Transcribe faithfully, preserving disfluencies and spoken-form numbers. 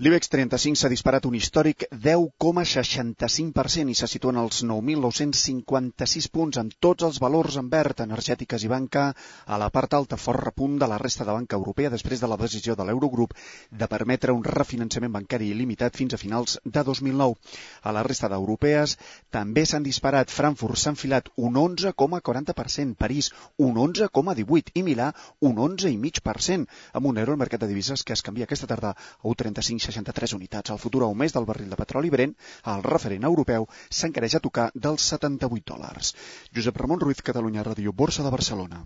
L'IBEX trenta-cinc s'ha disparat un històric deu coma seixanta-cinc per cent i se situa en els nou mil nou-cents cinquanta-sis punts amb tots els valors en verd, energètiques i banca a la part alta, fort repunt de la resta de banca europea després de la decisió de l'Eurogrup de permetre un refinançament bancari il·limitat fins a finals de dos mil nou. A la resta d'europees també s'han disparat. Frankfurt s'ha enfilat un onze coma quaranta per cent, París un onze coma divuit i Milà un onze coma cinc per cent, amb un euro al mercat de divises que es canvia aquesta tarda a un trenta-cinc coma seixanta-tres unitats. El futur a un mes del barril de petroli Brent, el referent europeu, s'encareix a tocar dels setanta-vuit dòlars. Josep Ramon Ruiz, Catalunya Ràdio, Borsa de Barcelona.